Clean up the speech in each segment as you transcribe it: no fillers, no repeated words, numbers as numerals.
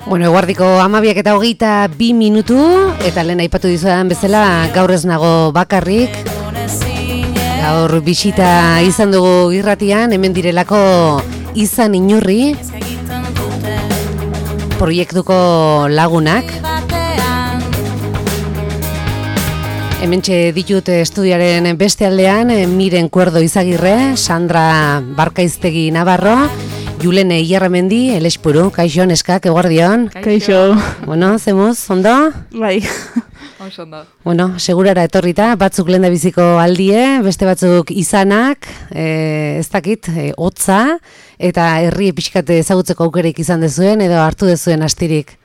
Bueno, eguardiko 12:22 eta lehen aipatu dizudan bezala gaur ez nago bakarrik. Gaur bisita izan dugu irratian, hemen direlako Izan Inurri proiektuko lagunak. Hementxe ditut estudioaren beste aldean, Miren Kuerdo Izagirre, Sandra Barkaiztegi Navarro, Julene Ierramendi, Elespuru, kaixo, neskak, eguardion. Kaixo. Bueno, zemuz, ondo? Bai. Ondo. Bueno, segurara etorrita, batzuk lenda biziko aldie, beste batzuk izanak, ez dakit, hotza, eta herri pixkat ezagutzeko aukerik izan dezuen, edo hartu dezuen astirik.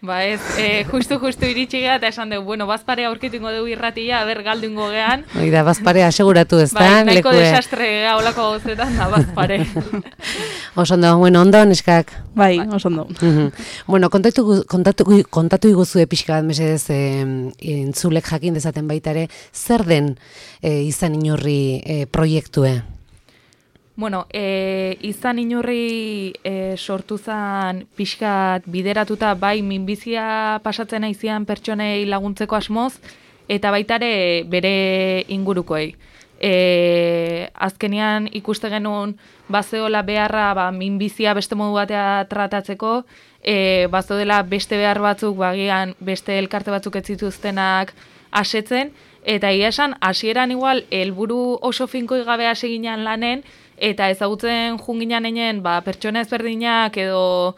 Ba ez, justu iritsi gea eta esan dugu, bueno, bazparea aurkitungo dugu irratia, aber galdungo gean. Oida, bazparea aseguratu ez da, bai, nahiko desastre gea olako gauzetan da bazpare. Osondo, bueno, ondo, neskak? Bai, osondo. Bueno, kontatu iguzue pixka bat, mesedez, entzulek jakin dezaten baitare, zer den Izan Inurri proiektue? Bueno, Izan Inurri sortu zen pixkat bideratuta bai minbizia pasatzen aizian pertsonei laguntzeko asmoz, eta baitare bere ingurukoei. Azkenean ikuste genuen bazeola beharra minbizia beste modu batea tratatzeko, bazeodela beste behar batzuk, bagian beste elkarte batzuk ez zituztenak asetzen, eta egia esan hasieran igual helburu oso finkoi gabe hasi ginen lanen, eta ezagutzen junginan enen pertsona ezberdinak edo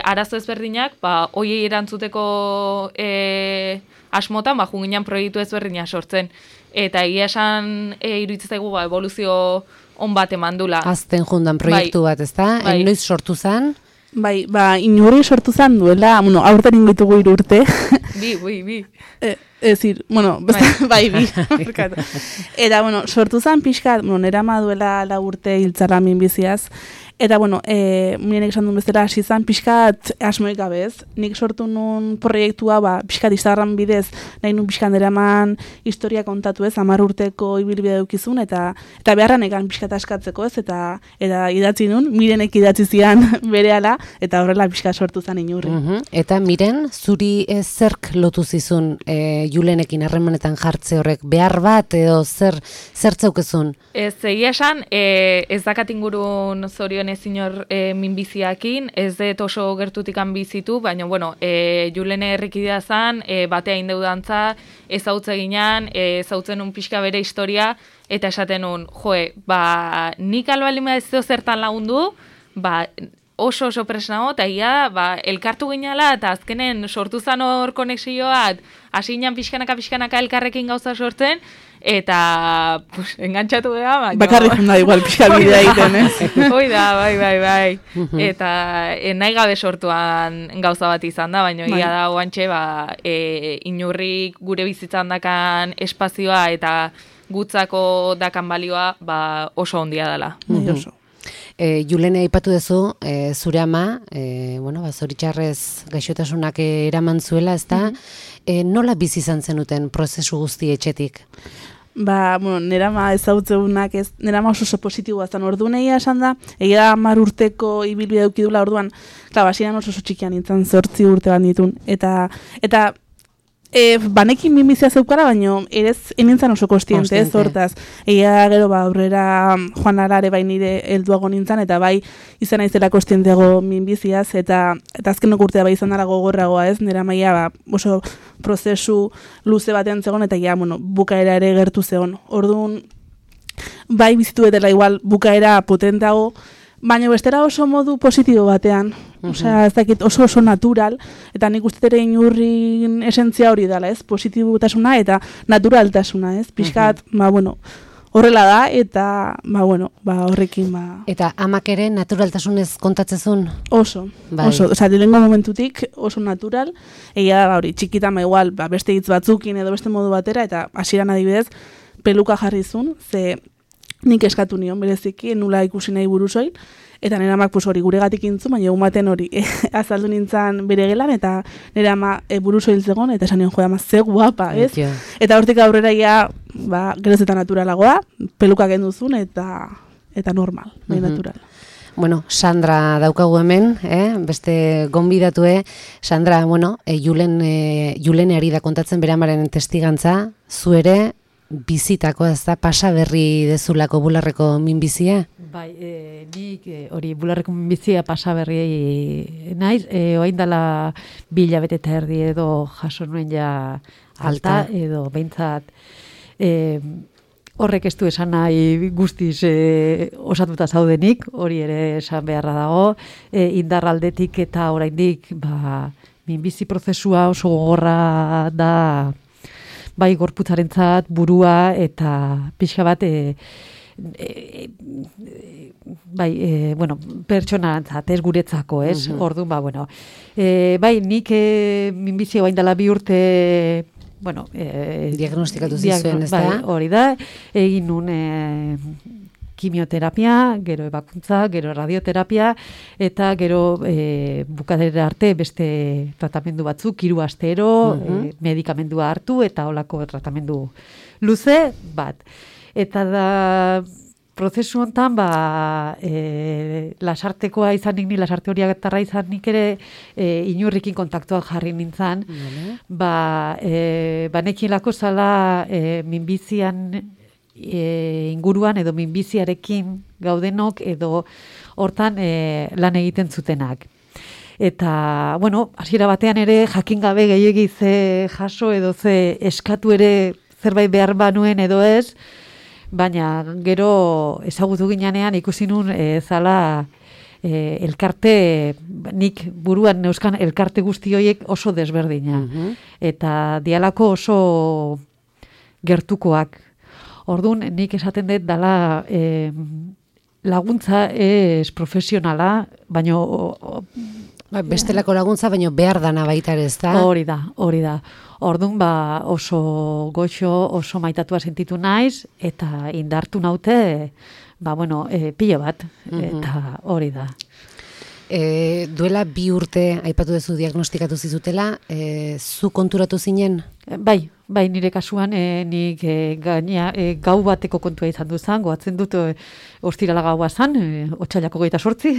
arazo ezberdinak, hoiei erantzuteko asmotan junginan proiektu ezberdinak sortzen. Eta egia esan iruditzen zaigu evoluzio on bat emandula. Azten jundan proiektu bat, ezta? Bai. Noiz sortu zen? Bai, Inurri sortu zen duela, aurten ingitugu 3 urte. Bi. Bueno, bai, bi. Eta, sortu zen pixkat, nera ma duela 4 urte hiltzara minbiziaz. Eta, mirenek esan duen bezala, hasi zen pixkat asmoik gabez. Nik sortu nun proiektua, pixkat Instagram bidez, nahi nun pixkat eraman historia kontatu ez, 10 urteko ibilbidea dukizun, eta beharran egan pixkat askatzeko ez, eta idatzi nun, Mirenek idatzi zian berehala, eta horrela pixkat sortu zen Inurri. Eta Miren, zuri zerk lotu zizun Julenekin harremanetan jartze horrek, behar bat edo zer zaukezun? Ez, egia esan, ez dakat ingurun zorion inor minbiziakin, ez dut oso gertutikan bizitu, baina, Julene errikidea zan, batea indeudantza, ezautze ginen, ezautzen un pixka bere historia, eta esaten un, nik albalima ez zertan lagundu, oso presnago, eta ia, elkartu ginala, eta azkenen sortu zan hor konexioa, hasi ginen pixkanaka elkarrekin gauza sortzen, eta engantxatu geha, bakarrik da igual pixka bidea egiten, ez? Hoi da, bai. Eta nahi gabe sortuan gauza bat izan da, baina ia da guantxe, Inurrik gure bizitzan dakan espazioa eta gutzako dakan balioa oso ondia dela. Oso. Julene aipatu duzu, zure ama, zoritxarrez gaixotasunak eraman zuela, ezta? Nola bizi izan zenuten prozesu guzti etxetik? Nera ama ezautzeunak ez, nera ama oso positiboa zen, orduan egia esan da, egia 10 urteko ibilbidea dukidula orduan, hasian oso txikian nintzen, 8 urte bat nitun, eta banekin minbizia zeukara, baina erez enintzen oso kostiente, ez hortaz. Egia gero aurrera joan arare nire helduago nintzen, eta bai izan aizela kostienteago minbiziaz, eta azkenok urtea izan dara gogorragoa ez, nera maia oso prozesu luze batean zegoen, eta bukaera ere gertu zegoen. Orduan, bai bizitu edela igual bukaera potentago, baina bestera oso modu positibo batean, osea, ez dakit oso natural, eta nik uste ere Inurrin esentzia hori dela, ez? Positibotasuna eta naturaltasuna, ez? Pixkat, horrela da, eta, horrekin, Eta amak ere naturaltasunez kontatzezun? Oso, osea, lehengo momentutik oso natural, egia da, hori, txikitan, igual, beste hitz batzukin edo beste modu batera, eta hasieran adibidez, peluka jarrizun, ze nik eskatu nion bereziki, nula ikusi nahi buruzoin, eta nire amak hori guregatik intzu, baina egun baten hori azaldu nintzen bere gelan, eta nire ama buruzoin zegoen, eta esan nion ama ze guapa, ez? Eta hortik aurrera ia, geroz eta naturalagoa, peluka genduzun, eta normal, natural. bueno, Sandra daukagu hemen, beste gonbidatue. Sandra, bueno, Julene ari da kontatzen bere amaren testigantza, zu ere bizitako ez da pasa berri dezulako bularreko minbizia? Bai, nik hori bularreko minbizia pasa berri naiz, oain dela 2 hilabete eta erdi edo jaso nuen ja alta edo behintzat horrek ez du esan nahi guztiz osatuta zaudenik, hori ere esan beharra dago, indarraldetik eta oraindik minbizi prozesua oso gogorra da, bai gorputzarentzat, burua eta pixka bat pertsonarentzat, ez guretzako, ez? Orduan, bai, nik minbizia bain dela 2 urte diagnostikatu zizuen, ez da? Hori da, egin nun kimioterapia, gero ebakuntza, gero radioterapia, eta gero bukadera arte beste tratamendu batzuk, 3 astero, medikamendua hartu, eta holako tratamendu luze bat. Eta da, prozesu hontan, lasartekoa izanik, ni lasarte horiak etarra izanik ere, inurrikin kontaktuak jarri nintzen, nekielako zala minbizian inguruan edo minbiziarekin gaudenok edo hortan lan egiten zutenak. Eta, hasiera batean ere jakin gabe gehiegi ze jaso edo ze eskatu ere zerbait behar banuen edo ez, baina gero ezagutu ginean ikusi nun zala elkarte, nik buruan neuzkan elkarte guzti horiek oso desberdina. Eta dialako oso gertukoak. Orduan, nik esaten dut dala laguntza ez profesionala, baina bestelako laguntza, baina behar dana baita ere, ez da? Hori da. Orduan, oso goxo, oso maitatua sentitu naiz, eta indartu naute, pilo bat, eta hori da. Duela 2 urte, aipatu duzu diagnostikatu zizutela, zu konturatu zinen? Bai, nire kasuan, nik gau bateko kontua izan duzan, goatzen dut ostirala gaua zan, otsailako 28,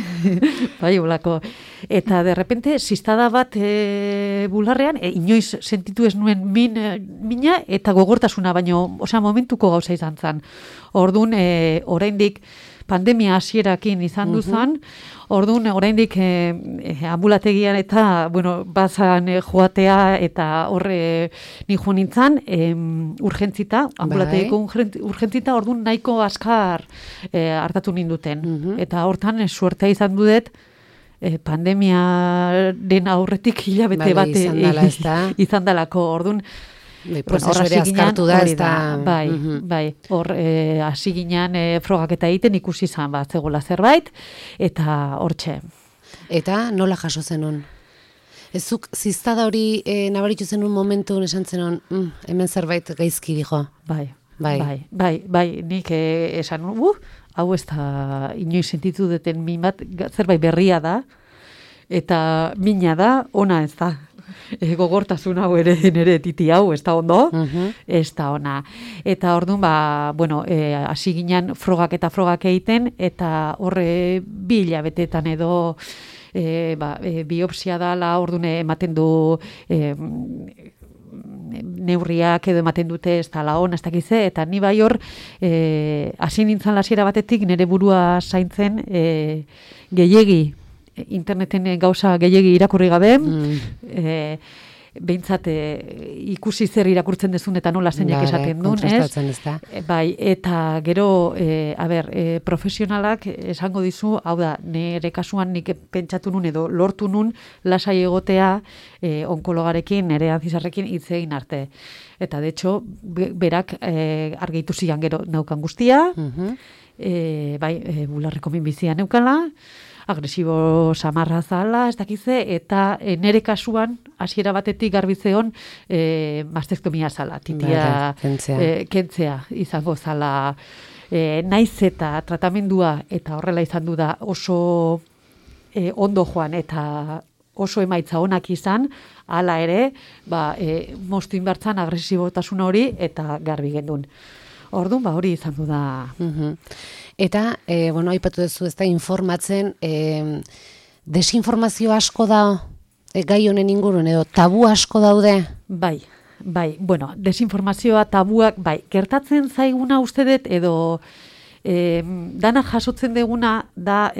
bai, olako. Eta derrepente, ziztada bat bularrean, inoiz sentitu ez nuen mina eta gogortasuna, baino, momentuko gauza izan zan. Orduan, oraindik pandemia hasierakin izan duzan, orduan, oraindik ambulategian eta, bazan joatea eta horre ni joan nintzen, urgentzita, ambulategiko urgentzita, orduan nahiko askar hartatu ninduten. Eta hortan, suertea izan dudet, pandemiaren aurretik hilabete bat izan dalako, orduan, prozesu ere azkartu da, ez da... Bai, hor hasi ginen frogaketa egiten ikusi izan bat zegoela zerbait, eta hortxe. Eta nola jaso zenun? Ezuk ziztada hori nabaritu zenun momentu esan zenun, hemen zerbait gaizki dijo? Bai, nik esan, hau ez da inoiz sentitu duten min bat, zerbait berria da, eta mina da, ona ez da. Gogortasun hau ere nere titi hau, ez da ondo, ez da ona. Eta orduan, hasi ginen frogak egiten, eta horre 2 hilabetetan edo biopsia dala, orduan ematen du neurriak edo ematen dute ez da laon, ez dakize, eta ni bai hor hasi nintzen hasiera batetik nire burua zaintzen gehiegi, interneten gauza gehiegi irakurri gabe, behintzat ikusi zer irakurtzen dezun eta nola zeinak esaten duen, ez? Bai, eta gero, profesionalak esango dizu, hau da, nire kasuan nik pentsatu nun edo lortu nun lasai egotea onkologarekin, nire antzizarrekin hitz egin arte. Eta, de hecho, berak argitu zian gero naukan guztia, bularreko minbizia neukala, agresibo samarra zala, ez dakize, eta nere kasuan, hasiera batetik garbitzeon, mastektomia zala, titia kentzea izango zala, naiz eta tratamendua, eta horrela izan du da oso ondo joan, eta oso emaitza onak izan, hala ere, moztu inbartzan agresibotasun hori, eta garbi gendun. Orduan, hori izan du da. Eta, bueno, aipatu duzu ez da informatzen, desinformazio asko da gai honen ingurun, edo tabu asko daude? Bai, bueno, desinformazioa, tabuak, gertatzen zaiguna uste dut, edo dana jasotzen deguna da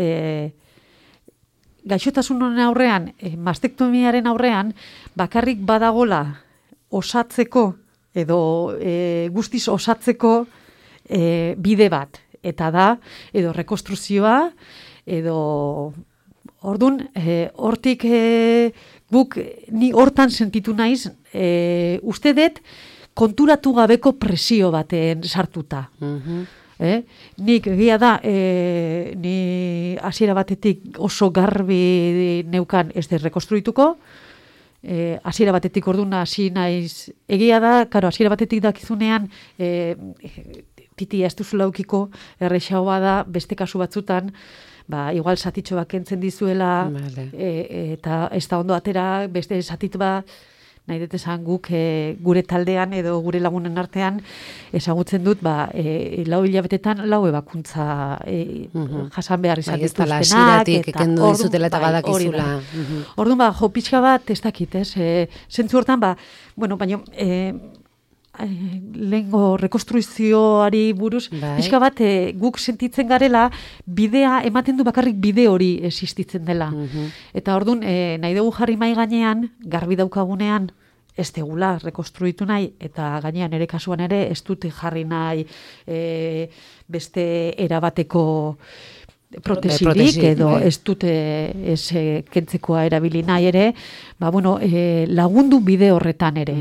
gaixotasun honen aurrean, mastektomiaren aurrean, bakarrik badagola osatzeko, edo guztiz osatzeko bide bat. Eta da, edo rekonstruzioa, edo ordun, hortik guk ni hortan sentitu naiz, uste dut konturatu gabeko presio baten sartuta. Nik egia da, ni hasiera batetik oso garbi neukan ez dut rekonstruituko, hasiera batetik orduan hasi naiz, egia da, hasiera batetik dakizunean, titia ez duzula aukiko, errexagoa da, beste kasu batzutan, igual satitxo bat kentzen dizuela, eta ez da ondo atera, beste satit bat, nahi dut esan guk gure taldean edo gure lagunen artean ezagutzen dut, 4 hilabetetan 4 ebakuntza jasan behar izan dituztenak, eta dizutela eta badakizula. Orduan, jo pixka bat, ez dakit, zentzu hortan, bueno, baina lehengo rekonstruizioari buruz, pixka bat guk sentitzen garela, bidea, ematen du bakarrik bide hori existitzen dela. Eta orduan, nahi dugu jarri mai gainean, garbi daukagunean, ez degula rekonstruitu nahi, eta gainean ere kasuan ere, ez dute jarri nahi beste erabateko protesirik, edo ez dute kentzekoa erabili nahi ere, bueno, lagundu bide horretan ere.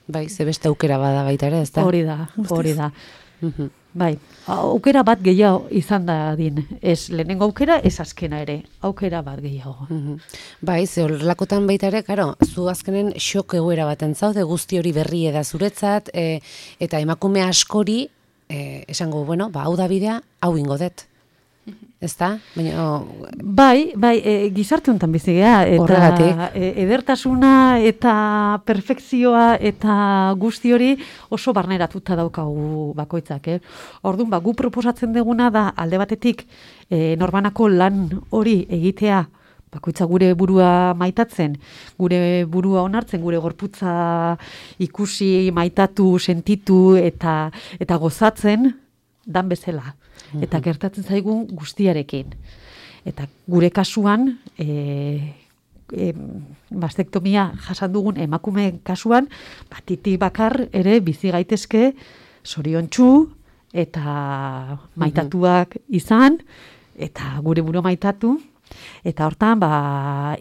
Bai, ze beste aukera bada baita ere, ez da? Hori da. Bai, aukera bat gehiago izan da din. Ez lehenengo aukera, ez azkena ere. Aukera bat gehiago. Bai, ze horrelakotan baita ere, karo, zu azkenen xok egoera baten zaude, guzti hori berri da zuretzat, eta emakume askori, esango, bueno, hau da bidea, hau ingo dut. Ez da? Bai, gizarte honetan bizi gea, eta edertasuna eta perfekzioa eta guzti hori oso barneratuta daukagu bakoitzak. Orduan, gu proposatzen duguna da alde batetik norbanako lan hori egitea, bakoitza gure burua maitatzen, gure burua onartzen, gure gorputza ikusi, maitatu, sentitu eta gozatzen dan bezala. Eta gertatzen zaigun guztiarekin. Eta gure kasuan, mastektomia jasan dugun emakume kasuan, titik bakar ere bizi gaitezke zoriontsu eta maitatuak izan, eta gure buru maitatu, eta hortan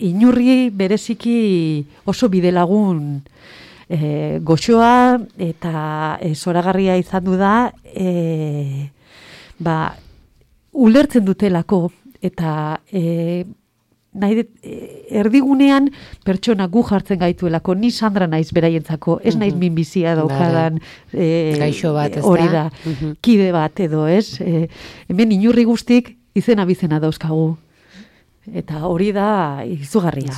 inurri bereziki oso bidelagun goxoa eta zoragarria izan du da, ulertzen dutelako eta erdigunean pertsona gu jartzen gaituelako, ni Sandra naiz beraientzako, ez naiz minbizia daukadan gaixo bat, ez da? Hori da, kide bat edo, ez? Hemen inurri guztik izena bizena dauzkagu. Eta hori da izugarria.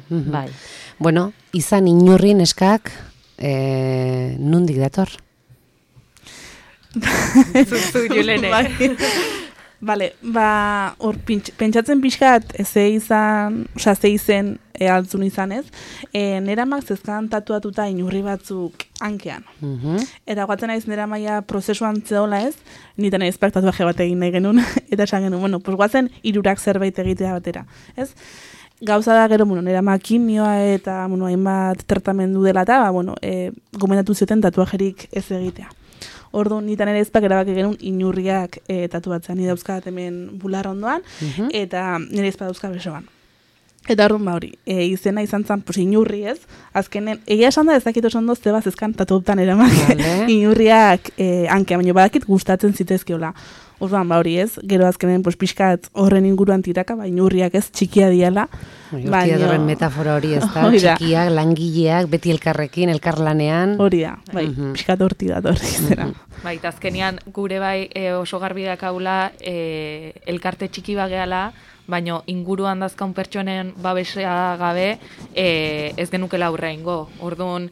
Bai. Bueno, izan inurri neskak nondik dator? Zuzu, Julene. Bale, hor pentsatzen pixkat, ze izen altzun izan ez, neramak zezkan tatuatuta inurri batzuk hankean. Eta guatzen naiz neramaia prozesuan zehola ez, niten nahiz tatuaje bat egin nahi genuen, eta esan genuen, bueno, pues guatzen 3 zerbait egitea batera, ez? Gauza da gero, nerama kimioa eta hainbat tratamendu dela eta, gomendatu zioten tatuajerik ez egitea. Orduan, nitan ere ezpak erabaki genuen inurriak tatuatzen. Ni dauzkat hemen bular ondoan, eta nire ezpak dauzkat besoan. Eta orduan hori, izena izan zen, inurri ez, azkenen, egia esan da ezakit oso ondo zebaz ezkan tatuautan eramak inurriak hankea, baina badakit gustatzen zitezkeola. Orduan, hori ez, gero azkenen pixkat horren inguruan tiraka, inurriak ez, txikia diala. Horren metafora hori ez da, txikiak, langileak, beti elkarrekin, elkarlanean. Hori da, pixkat horti da, zera. Azkenean gure oso garbi dakaula elkarte txiki bageala, baino inguruan dazkaun pertsonen babesea gabe ez genukela aurre ingo. Orduan,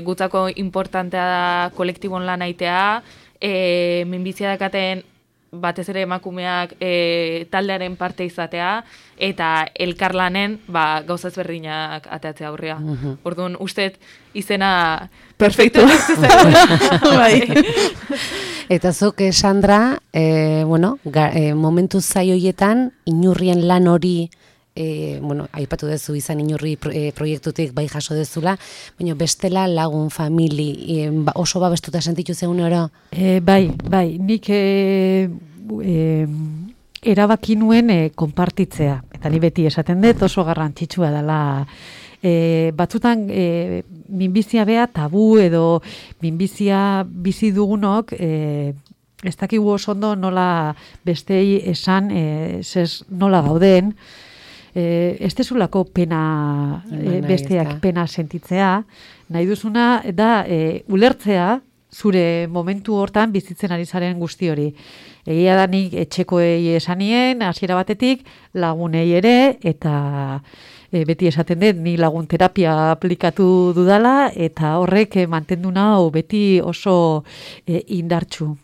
gutzako importantea da kolektibon lan aitea, minbizia dakaten batez ere emakumeak taldearen parte izatea, eta elkarlanen gauza ezberdinak ateatzea aurrea. Orduan, usteet izena perfecto. Bai. Eta zuk, Sandra, momentu zaioietan, inurrien lan hori, aipatu duzu izan inurri proiektutik bai jaso dezula, baina bestela lagun, famili, oso babestuta sentitu zeun oro? Bai, nik erabaki nuen konpartitzea, eta ni beti esaten dut oso garrantzitsua dela. Batzutan minbizia bea tabu edo minbizia bizi dugunok ez dakigu oso ondo nola bestei esan nola gauden. Ez dezulako pena besteak pena sentitzea, nahi duzuna da ulertzea zure momentu hortan bizitzen ari zaren guzti hori. Egia da nik etxekoei esanien, hasiera batetik, lagunei ere, eta beti esaten dut, ni lagun terapia aplikatu dudala, eta horrek mantendu nau beti oso indartsu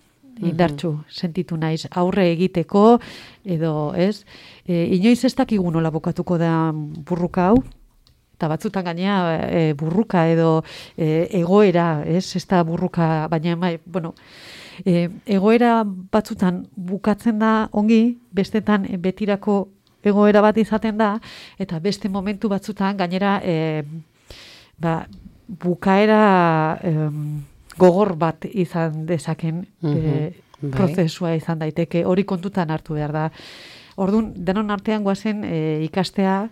sentitu naiz aurre egiteko, edo ez, inoiz ez dakigu nola bukatuko da burruka hau, eta batzutan gainea burruka edo egoera, ez da burruka, baina egoera batzutan bukatzen da ongi, bestetan betirako egoera bat izaten da, eta beste momentu batzutan gainera bukaera gogor bat izan dezaken prozesua izan daiteke, hori kontutan hartu behar da. Orduan, denon artean goazen ikastea,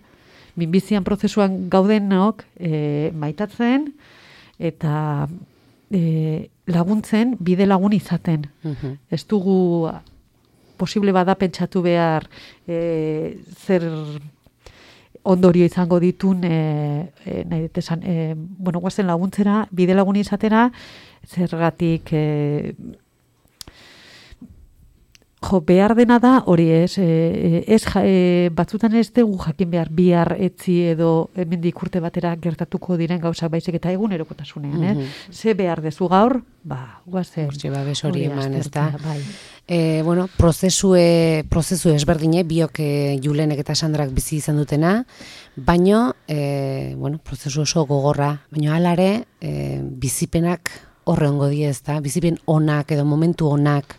minbizian prozesuan gaudenok maitatzen, eta laguntzen, bide lagun izaten. Ez dugu posible bada pentsatu behar zer ondorio izango ditun nahi dut esan, guazen laguntzera, bide lagun izatera, zergatik behar dena da, hori batzutan ez dugu jakin behar bihar etzi edo hemendik urte batera gertatuko diren gauzak baizik eta egunerokotasunean, ze behar dezu gaur, guazen. Hortxe babes hori eman, ez da. Prozesu ezberdine, biok Julenek eta Sandrak bizi izan dutena, baino, prozesu oso gogorra, baino alare, bizipenak horre ongo die, ez da, bizipen onak edo momentu onak.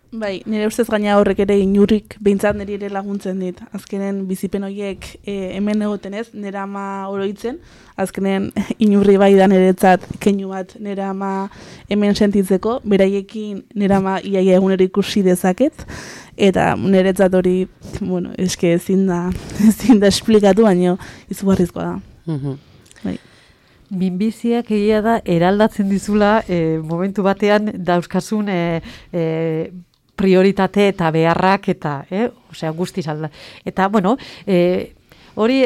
Bai, nire ustez gaina horrek ere inurrik behintzat niri ere laguntzen dit. Azkenen bizipen horiek hemen egoten ez, nire ama oroitzen, azkenen inurri bai da niretzat keinu bat nire ama hemen sentitzeko, beraiekin nire ama iaia egunero ikusi dezaket, eta niretzat hori, eske ezin da esplikatu, baino izugarrizkoa da. Bai. Minbiziak egia da eraldatzen dizula momentu batean dauzkasun prioritate eta beharrak eta, guztiz alda. Eta, hori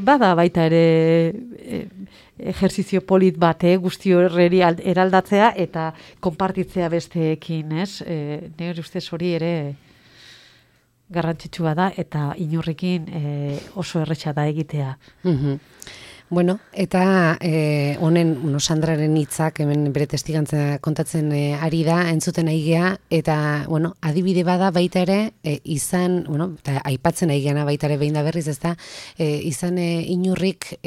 bada baita ere ejerzizio polit bat, guzti horreri eraldatzea eta konpartitzea besteekin, ez? Nire ustez hori ere garrantzitsua da eta inurrekin oso erretxa da egitea. Eta honen Sandraren hitzak hemen bere testigantza kontatzen ari da, entzuten aigea, eta adibide bada baita ere, izan, eta aipatzen aigeana baita ere behin da berriz, ez da, izan inurrik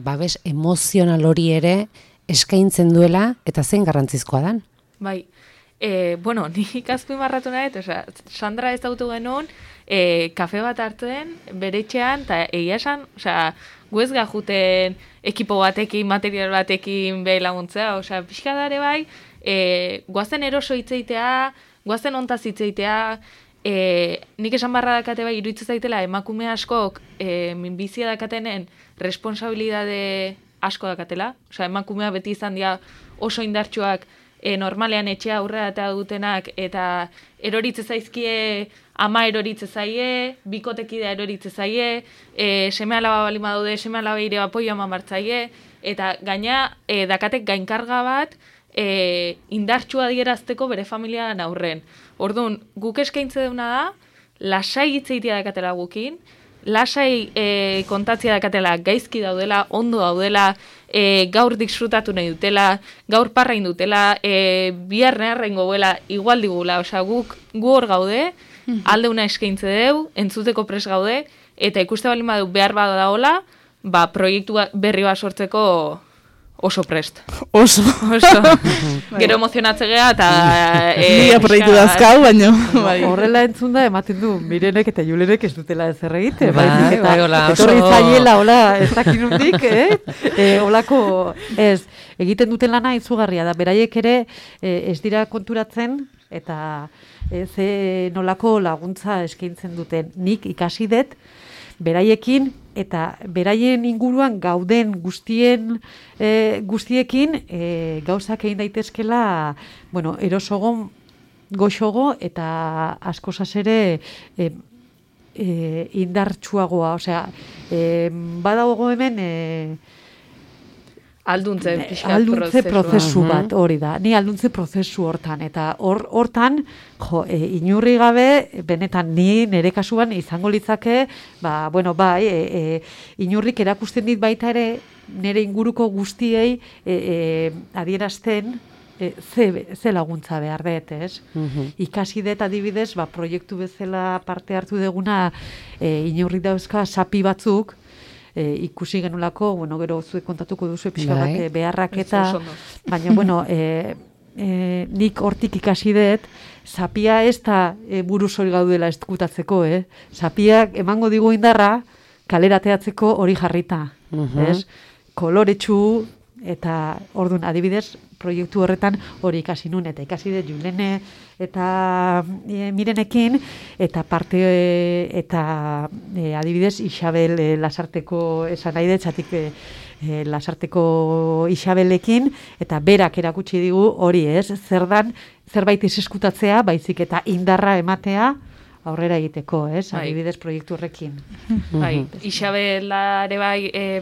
babes emozional hori ere eskaintzen duela, eta zen garrantzizkoa dan? Bai, nik azpimarratu nahi, Sandra ez dautu genuen, kafe bat hartzen, bere etxean, eta egia esan, gu ez gajuten ekipo batekin, material batekin behi laguntzea, pixka dare bai, guazen eroso hitzeitea, guazen ontaz hitzeitea, nik esan barra dakate bai, iruditzen zaitela, emakume askok minbizia dakatenen responsabilidade asko dakatela, emakumea beti izan dira oso indartsuak normalean etxea aurrera eta dutenak, eta eroritze zaizkie, ama eroritze zaie, bikotekidea eroritze zaie, seme alaba bali badaude, seme alaba ire apoio eman bartzaie, eta gaina dakatek gainkarga bat indartsua adierazteko bere familiaren aurren. Orduan, guk eskaintze duna da, lasai hitzeitia dakatela gukin, lasai kontatzia dakatela gaizki daudela, ondo daudela, gaur disfrutatu nahi dutela, gaur parrain dutela, bihar neharren goguela, igual digula, osea, gu hor gaude, aldeuna eskaintze deu, entzuteko pres gaude, eta ikuste baldin badu behar badaola, proiektu berri bat sortzeko oso prest. Oso. Gero emozionatzea eta... Nia proiektu dazkau, baina... Horrela entzun da, ematen du, Mirenek eta Julenek ez dutela ezer egite. Etorri zaiela, hola, ez dakinundik, holako, ez, egiten duten lana izugarria da. Beraiek ere ez dira konturatzen, eta ze nolako laguntza eskaintzen duten. Nik ikasi dut, beraiekin eta beraien inguruan gauden guztiekin gauzak egin daitezkela, bueno, erosogo, goxogo eta askozaz ere indartsuagoa, osea, badago hemen alduntze prozesu bat, hori da. Ni alduntze prozesu hortan, eta hortan, inurri gabe, benetan ni nire kasuan izango litzake, inurrik erakusten dit baita ere, nire inguruko guztiei adierazten, ze laguntza behar dut, ez? Ikasi dut adibidez, proiektu bezala parte hartu deguna, inurrik dauzka sapi batzuk, ikusi genulako, gero zuek kontatuko duzu pixka bat beharrak eta, baina, nik hortik ikasi dut, zapia ez da buruz hori gaudela eskutatzeko, Zapiak emango digu indarra, kalerateatzeko hori jarrita, ez? Koloretsu, eta orduan adibidez, proiektu horretan hori ikasi nun, eta ikasi dut Julene eta Mirenekin, eta parte, eta adibidez, Isabel Lasarteko esan nahi dut, zatik Lasarteko Isabelekin, eta berak erakutsi digu hori zerbait ez eskutatzea, baizik eta indarra ematea, aurrera egiteko, adibidez proiektu horrekin. Isabelare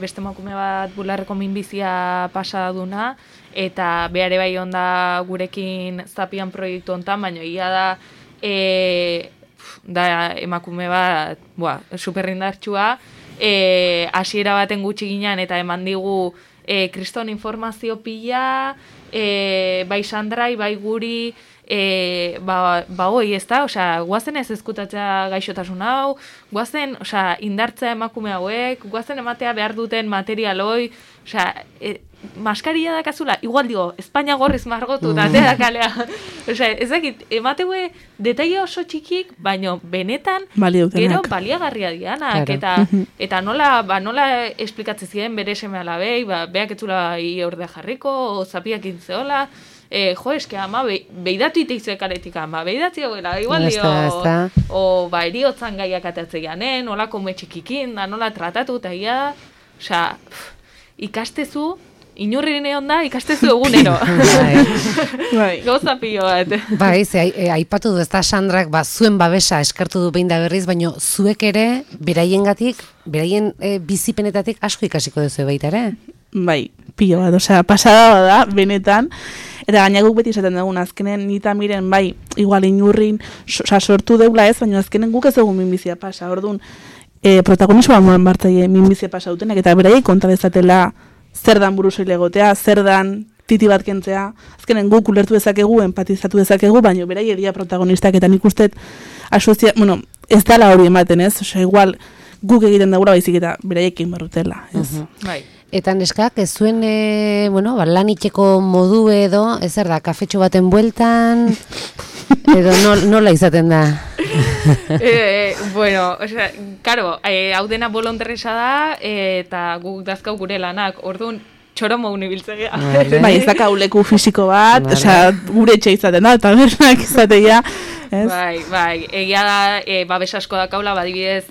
beste emakume bat bularreko minbizia pasa duna, eta behare bai onda gurekin zapian proiektu hontan, baina ia da emakume bat, superindartsua, hasiera baten gutxi ginen, eta eman digu kriston informazio pila, bai Sandrai, bai guri, hoi, ez da, guazen ez ezkutatzea gaixotasun hau, guazen, indartzea emakume hauek, guazen ematea behar duten materialoi, maskaria dakazula, igual digo, Espainia gorriz margotu, da kalea. Ez dakit, emateue detaile oso txikik, baina benetan, gero baliagarria dianak, eta nola esplikatzen ziren bere seme alabei, beak etzula ordea jarriko, zapiak intzeola, eske ama, beidatu iteizu ekaretik ama, beidatzi goela, igual dio, eriotzan gaiak atatze ganen, nola kometxikikin, da nola tratatu, eta ia, ikastezu, inurri neon da, ikastezu egunero. Gauza pilo bat. Aipatu du, ez da Sandrak, zuen babesa eskartu du behin da berriz, baina zuek ere, beraiengatik, beraien bizipenetatik asko ikasiko duzu baita ere? Bai, pilo bat, pasada da, benetan, eta gaina guk beti esaten dugun, azkenen nita miren, igual inurrin, sortu deula ez, baina azkenen guk ez dugun minbizia pasa, orduan, protagonismoa moren bartzaile minbizia pasa dutenek, eta beraiek konta dezatela zer dan buruzoile egotea, zer dan titi bat kentzea, azkenen guk ulertu dezakegu, empatizatu dezakegu, baina beraiek dira protagonistak, eta nik uste, ez dala hori ematen ez, igual guk egiten dagoela baizik eta beraiekin barrutela, ez. Eta neskak, ez zuen, lan itxeko modu edo, ez da, kafetxo baten bueltan, edo nola izaten da? Hau dena bolonterresa da, eta guk dazkau gure lanak, orduan, txoromo unibiltzea. Ez daka uleku fisiko bat, gure etxe izaten da, eta bernak izatea. Bai, egia da, babes asko dakaula, badibidez,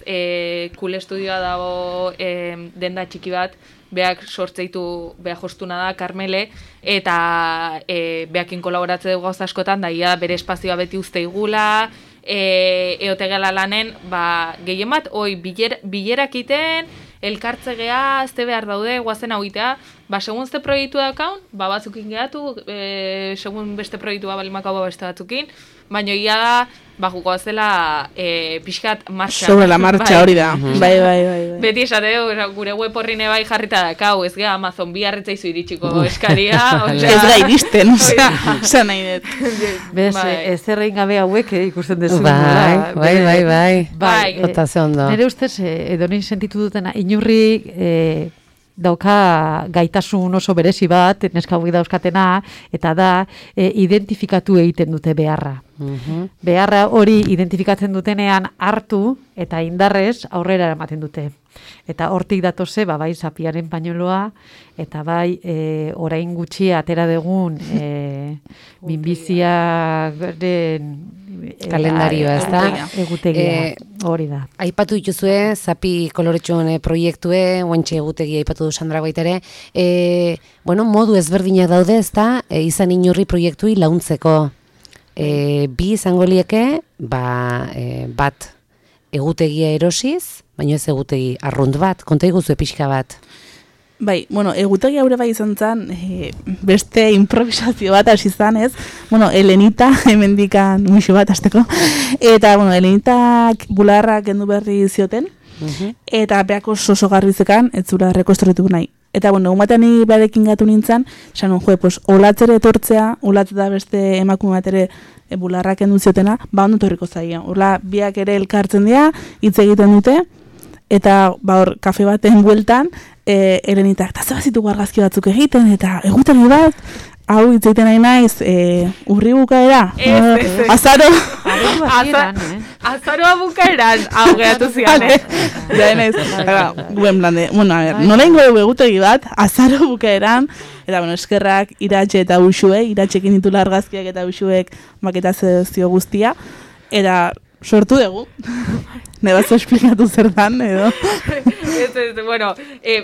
Cool Estudioa dago denda txiki bat, beak sortzeitu, beak jostuna da, Karmele, eta beakin kolaboratze dugu gauza askotan, da ia bere espazioa beti uste igula, eotegela lanen, gehien bat, bilerak iten, elkartzegea, azte behar daude, guazen hau itea, segun zte proiektu dakaun, batzukin gehatu, segun beste proiektua balimako beste batzukin, baina ia da, juko zela pixkat martxa. Sobre la marcha hori da. Bai. Beti esate gure web horrine bai jarrita dakau, ez gara Amazon bi harritzaizu iritsiko eskaria. Ez da iristen, oza nahi dut. Bez, ez errein gabe hauek ikusten dezu. Bai. Eta ze ondo. Nire ustez, edonin sentitu dutena, inurri dauka gaitasun oso berezi bat, neska hauek dauzkatena, eta da, identifikatu egiten dute beharra. Beharra hori identifikatzen dutenean hartu eta indarrez aurrera ematen dute. Eta hortik datoze, bai Zapiaren pañueloa, eta bai orain gutxi atera dugun minbiziaren kalendarioa, ez da? Egutegia, hori da. Aipatu dituzue, Zapi koloretxoen proiektue, oentxe egutegia aipatu du Sandra baitere. Modu ezberdinak daude, ez da, izan inurri proiektui launtzeko. Bi izango lieke, bat egutegia erosiz, baina ez egutegi arrunt bat, konta iguzu pixka bat. Bai, egutegi haure bai izan zen, beste improvisazio bat hasi zan, ez? Elenita, hemendikan muixo bat hasteko, eta, Elenitak bularrak kendu berri zioten, eta beako oso garbizekan, ez zura rekonstruitu nahi. Eta, egun batean ni barekin gatu nintzen, esan olatzere etortzea, olatze da beste emakume bat ere bularrak kendu ziotena, ondo torriko zaia. Horla, biak ere elkartzen dira, hitz egiten dute, eta hor, kafe baten bueltan, Elenitak, eta zebazitu argazki batzuk egiten, eta egutegi bat, hau hitz egiten nahi naiz, urri bukaera, azaro. Azaroa bukaeran, hau gehatu zian, guen blande, nola ingo dugu egutegi bat, azaro bukaeran, eta eskerrak iratxe eta usuek, iratxekin ditu argazkiak eta usuek maketazio guztia, eta sortu dugu. Nebazo esplikatu zer dan, edo?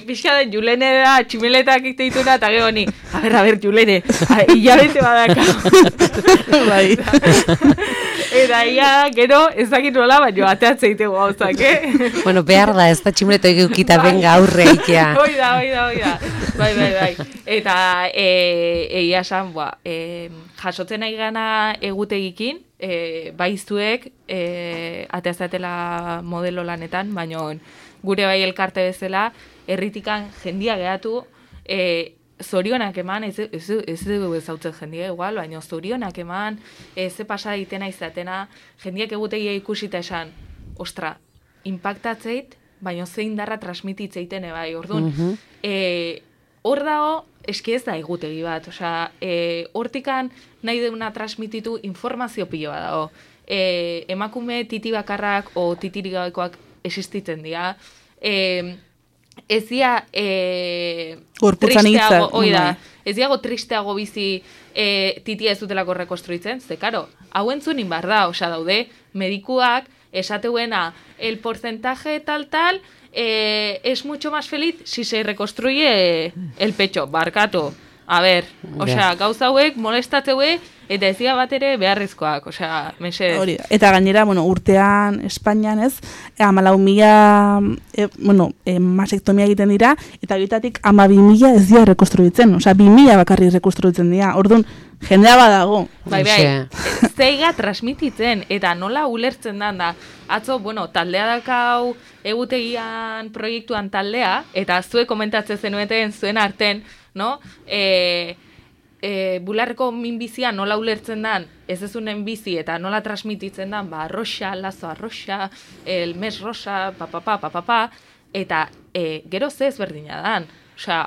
Pixka den Julene da, tximeletak ikteituna, eta gero ni, a ber, Julene, hilabete badaka. Bai. Eta ia, gero, ez dakit nola, baina ateatze itego gauzak, Behar da, ez da tximeleto egukita benga aurre ikea. Hoi da. Bai. Eta, egia esan, jasotzen nahi gana egutegikin, baizuek ateazatela modelo lanetan, baina gure bai elkarte bezala, herritikan jendia gehatu, zorionak eman, ez dugu ezautzen jendia igual, baina zorionak eman, ze pasa ditena izatena, jendiak egutegia ikusita esan, ostra, impactatzeit, baina zein darra transmititzeiten bai, orduan, hor dago, eski ez da egutegi bat, hortikan nahi deuna transmititu informazio piloa dago. Emakume titi bakarrak o titirik gabekoak existitzen dira. Ez dia tristeago bizi titia ez dutelako rekonstruitzen, ze karo, hau entzunin bar da, daude, medikuak esateuena el porcentaje tal, es mucho más feliz si se reconstruye el pecho, barkatu. A ber, gauza hauek molestatzeuek eta ezia bat ere beharrezkoak, mesedez. Hori da. Eta gainera, Urtean, Espainian ez, 14.000 masektomia egiten dira, eta horietatik 12.000 ez dira rekonstruitzen, 2.000 bakarri rekonstruitzen dira. Orduan, jendea badago. Bai, zeiga transmititzen, eta nola ulertzen da. Atzo, taldea dakau egutegian proiektuan taldea, eta zuek komentatzen zenueten zuen arten, no? Bularreko minbizia nola ulertzen dan, ez ezunen bizi eta nola transmititzen dan, arroxa, lazo arroxa, el mes rosa, papapa, eta gero ze ezberdina dan.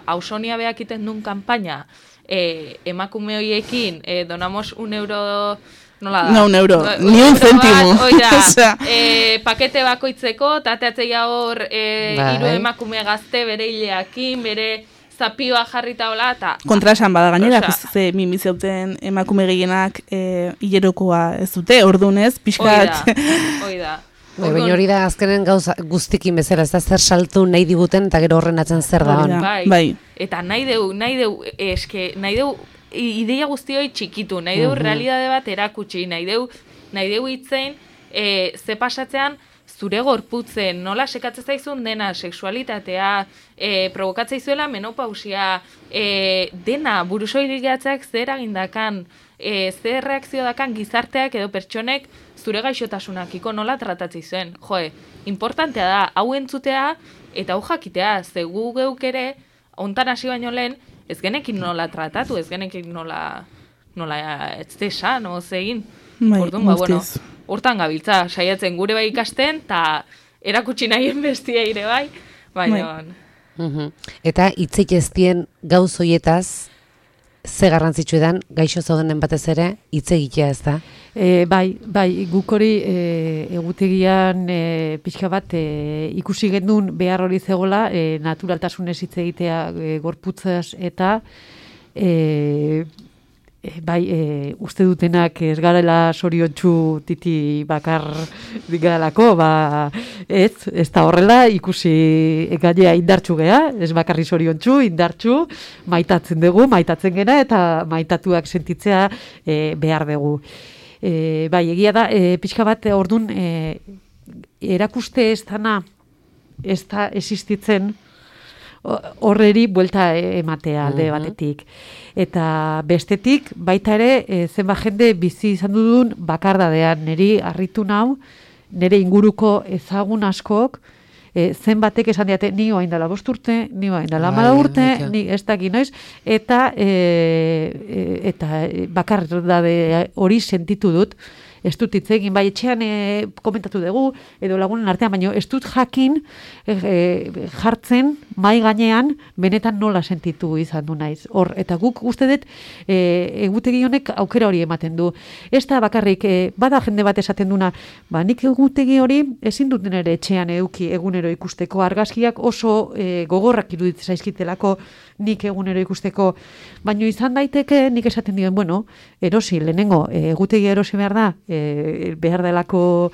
Ausonia behakiten duen kanpaina, emakume horiekin, donamos €1, nola da? No, €1, ni un céntimo. Pakete bakoitzeko, tateatzea hor, 3 emakume gazte, bere hileakin, bere zapioa jarrita hola, eta... Kontra esan bada gainera, ze minbiziauten emakume gehienak hilerokoa ez dute, ordunez, pixkat... Hoi da. Baina hori da azkenen gauza guztikin bezala, ez da zer saltu nahi diguten, eta gero horren atzen zer da hon. Bai. Eta nahi deu, ideia guztioi txikitu, nahi deu realidade bat erakutsi, nahi deu hitzein, ze pasatzean, zure gorputzen nola sekatzen zaizun dena, sexualitatea, provokatzea izuela menopausia, dena burusoilik gehatzeak zer agindakan, zer reakzio dakan gizarteak edo pertsonek zure gaixotasunakiko nola tratatzen zuen. Joe, importantea da, hau entzutea eta hau jakitea, ze gu geuk ere, hontan hasi baino lehen, ez genekin nola tratatu, ez genekin nola ez desan, egin. Orduan, bueno, hortan gabiltza, saiatzen gure bai ikasten, eta erakutsi nahien bestia ere bai, baina... Eta hitzik ez dien gauz hoietaz, ze garrantzitsu edan, gaixo zaudenen batez ere, hitz egitea ez da? Bai, guk hori egutegian pixka bat ikusi gendun behar hori zegoela, naturaltasunez hitz egitea gorputzaz eta uste dutenak ez garela soriontsu titi bakar digaralako, ez da horrela, ikusi gainea indartsu gea, ez bakarri soriontsu, indartsu, maitatzen dugu, maitatzen gena, eta maitatuak sentitzea behar dugu. Egia da, pixka bat ordun erakuste ez dana, ez da existitzen, horreri buelta ematea alde batetik. Eta bestetik, baita ere, zenbat jende bizi izan dudun bakardadean, niri harritu nau, nire inguruko ezagun askok, zenbatek esan diate, ni oain dela 5 urte, ni oain dela 10 urte, ni ez daki noiz, eta bakardade hori sentitu dut, ez dut hitz egin, bai etxean komentatu dugu, edo lagunen artean, baina ez dut jakin jartzen mai gainean benetan nola sentitu izan du naiz. Hor, eta guk uste dut egutegi honek aukera hori ematen du. Ez da bakarrik, bada jende bat esaten duna, nik egutegi hori ezin duten ere etxean eduki egunero ikusteko, argazkiak oso gogorrak iruditzen zaizkitelako nik egunero ikusteko, baina izan daiteke nik esaten dien, erosi, lehenengo, egutegi erosi behar da, behar delako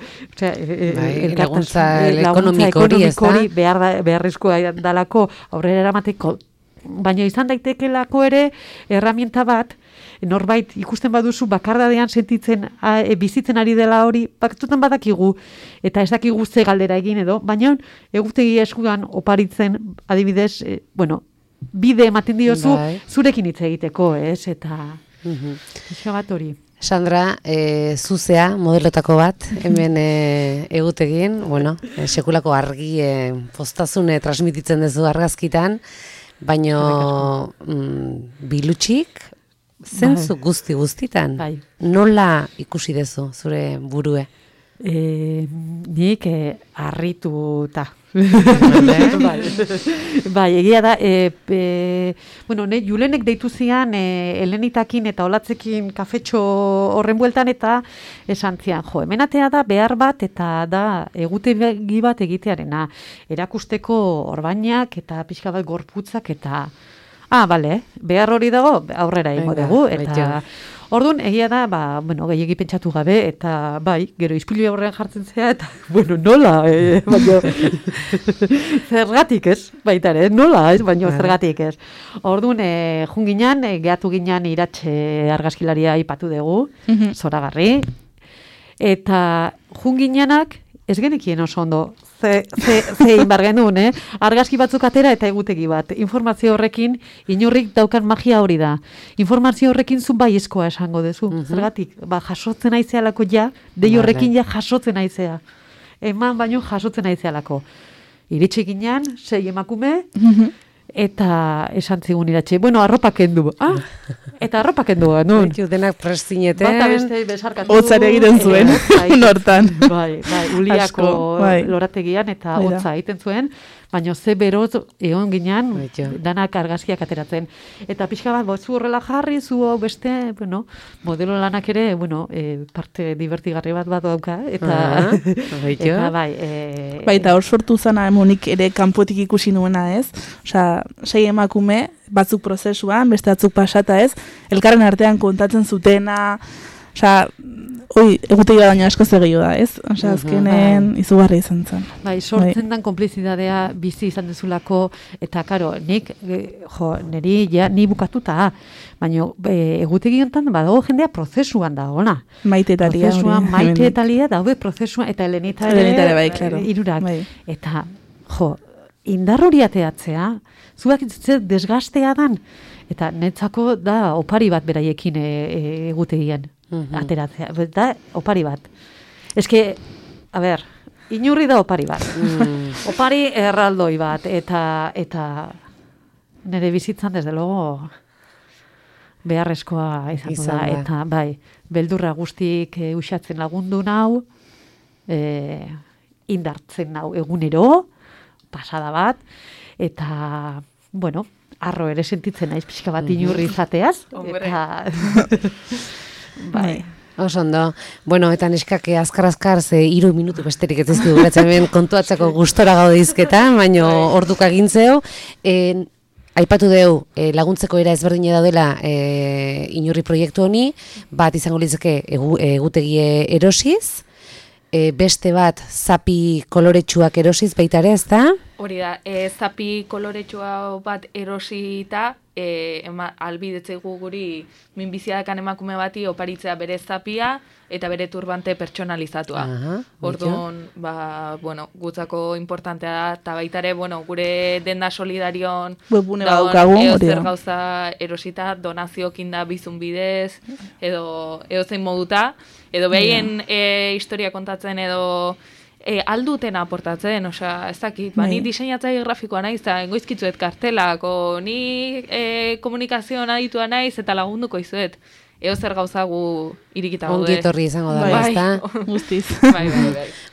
laguntza ekonomiko hori beharrezkoa dalako aurrera eramateko, baina izan daitekelako ere herramienta bat, norbait ikusten baduzu bakardadean sentitzen bizitzen ari dela hori, baktutan badakigu eta ez dakigu ze galdera egin edo, baina egutegi eskuan oparitzen adibidez, bide ematen diozu zurekin hitz egiteko, ez? Eta bat hori. Sandra, zuzea, modelotako bat, hemen egutegin, sekulako argi postazune transmititzen dezu argazkitan, baino bilutsik, zentzu guztitan, nola ikusi dezu zure burue? Nik harrituta. Egia da, Julenek deitu zian Helenitakin eta Olatzekin kafetxo horren bueltan eta esan zian, hemenatea da behar bat eta da egutegi bat egitearena, erakusteko orbainak eta pixka bat gorputzak eta behar hori dago aurrera ingo dugu eta orduan, egia da, gehiegi pentsatu gabe, eta gero ispilu aurrean jartzen zea, eta, nola, baina, zergatik ez, baita ere, nola, ez, baina zergatik ez. Orduan, junginan, gehatu ginen iratxe argazkilaria ipatu dugu, zoragarri, eta junginanak ez genekien oso ondo, ze inbar genuen, argazki batzuk atera eta egutegi bat. Informazio horrekin, inorrik daukan magia hori da. Informazio horrekin zu baiezkoa esango dezu. Zergatik, jasotzen aizealako dei horrekin jasotzen aizea. Eman baino jasotzen aizealako. Iritsi ginean, 6 emakume, eta esan zigun iratxe, arropa kendu. Eta arropa kendu, nun? Denak prestineten. Bata beste besarkatu. Hotzare egiten zuen, nortan. Uliako lorategian eta hotza egiten zuen, baina ze beroz egon ginean, danak argazkiak ateratzen. Eta pixka bat, zu horrela jarri, zu beste, modelo lanak ere, parte divertigarri bat dauka, eta eta hor sortu zana emonik ere kanpotik ikusi nuena ez, 6 emakume, batzuk prozesuan, beste batzuk pasata ez, elkarren artean kontatzen zutena, Osea, egutegi baina asko zegio da, ez? Osea, azkenen izugarri izan zen. Bai, sortzen dan konplizidadea bizi izan dezulako, eta karo, nik, niri ja, ni bukatuta, baina egutegi honetan badago jendea prozesuan da, ona. Maite eta Lia daude prozesuan, eta Elenita ere, bai, claro. Irurak. Bai. Eta, indar hori ateatzea, zuak desgastea dan, eta netzako da opari bat beraiekin egutegian. Ateratzea, da opari bat. Eske, a ber, inurri da opari bat. Opari erraldoi bat, eta nire bizitzan, desde logo, beharrezkoa izan da. Eta, bai, beldurra guztik usatzen lagundu nau, indartzen nau egunero, pasada bat, eta, bueno, arro ere sentitzen naiz pixka bat inurri izateaz. Eta... Bai. Oso ondo. Bueno, eta neskake azkar ze 3 minutu besterik ez dizkigu guratzen hemen kontuatzeko gustora gaude izketan, baino orduka egintzeu. Aipatu deu laguntzeko era ezberdina daudela inurri proiektu honi, bat izango litzake egutegie erosiz, beste bat zapi koloretsuak erosiz baita ere, ezta? Hori da, zapi koloretsua bat erosita, albidetzegu guri minbiziadakan emakume bati oparitzea bere zapia eta bere turbante pertsonalizatua. Orduan, gutzako importantea da, eta baita ere, gure denda solidarion zer gauza erosita, donaziokin da bizun bidez, edo zein moduta, edo behaien historia kontatzen edo alduten aportatzen, osea, ez dakit, ni diseinatzaile grafikoa naiz, eta goizkitzuet kartelak, ni komunikazioan aditua naiz, eta lagunduko izuet. Eo zer gauzagu irikita gaude. Ongi etorri izango da, ezta? Guztiz. Bai.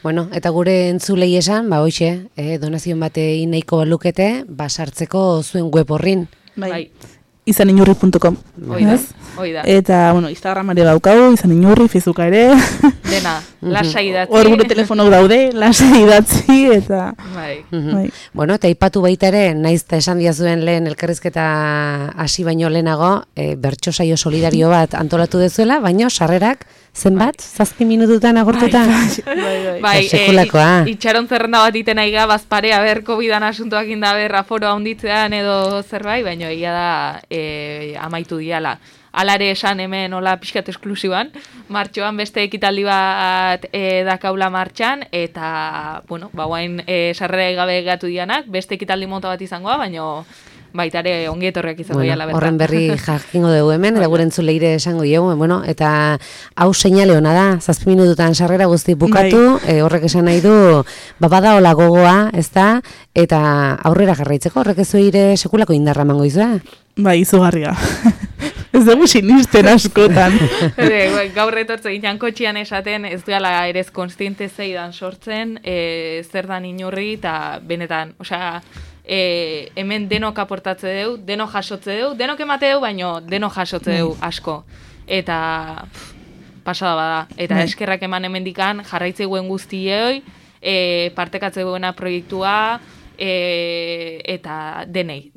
Bueno, eta gure entzulei esan, hoxe, donazion bate nahiko balukete, sartzeko zuen web horrin. Bai. izaninurri.com. Oida. Eta, Instagram ere baukau, izaninurri, Facebooka ere. Dena, lasai idatzi. Hor gure telefonok daude, lasai idatzi, eta... Bai. Bueno, eta ipatu baita ere, naiz eta esan diazuen lehen elkarrizketa hasi baino lehenago, bertso saio solidario bat antolatu dezuela, baino sarrerak zenbat? 7 minututan agortuta? Bai, sekulakoa. Itxaron zerrenda bat iten aiga, bazpare, COVID-an asuntoak indaber, aforoa onditzean edo zerbait, baino egia da amaitu diala. Alare esan hemen hola pixkat esklusiban, martxoan beste ekitaldi bat dakaula martxan, eta, guain sarrera gabe gatu dianak, beste ekitaldi mota bat izangoa, baino baita ere ongi etorriak izango diala bertan. Horren berri jakingo dugu hemen, eta gure entzuleire esango dugu, eta hau seinale hona da, 7 minututan sarrera guzti bukatu, horrek esan nahi du, bada hola gogoa, ez da, eta aurrera jarraitzeko, horrek ez zuire sekulako indarra mango izua? Bai, izugarria. Ez dugu sinisten askotan. Gaur etortze ginen kotxian esaten, ez duela ere ez konstiente zeidan sortzen, zer dan inurri, eta benetan, osea, hemen denok aportatze deu, denok jasotze deu, denok emate deu, baino denok jasotze deu asko. Eta pasada bada. Eta eskerrak eman hemendikan jarraitzeguen guztiei, partekatzeguena proiektua, eta denei.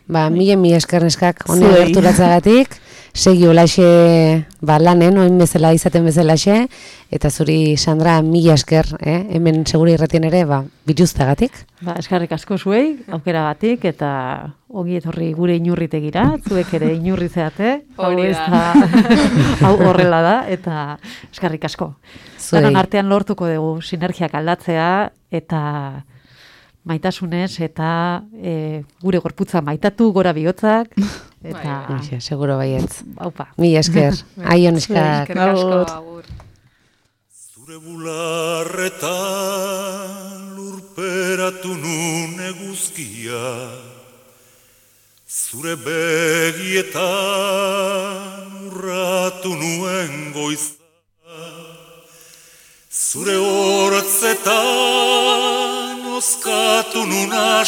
Mila esker neskak, honi gerturatzagatik, segi olaxe lanen, oin bezala izaten bezalaxe, eta zuri, Sandra, mila esker, hemen seguri irratien ere, bituztagatik. Eskerrik asko zuei, aukeragatik, eta ongi etorri gure inurritegira, zuek ere inurri zeate, hau horrela da, eta eskerrik asko. Zaran artean lortuko dugu sinergiak aldatzea, eta maitasunez, eta gure gorputza maitatu, gora bihotzak, eta... Seguro baietz. Aupa. Mila esker. Aion eskak. Eskerrik asko, agur. Zure bularreta lurperatu nun eguzkia, zure begietan urratu nuen goiza, zure hortzetan oskatu nun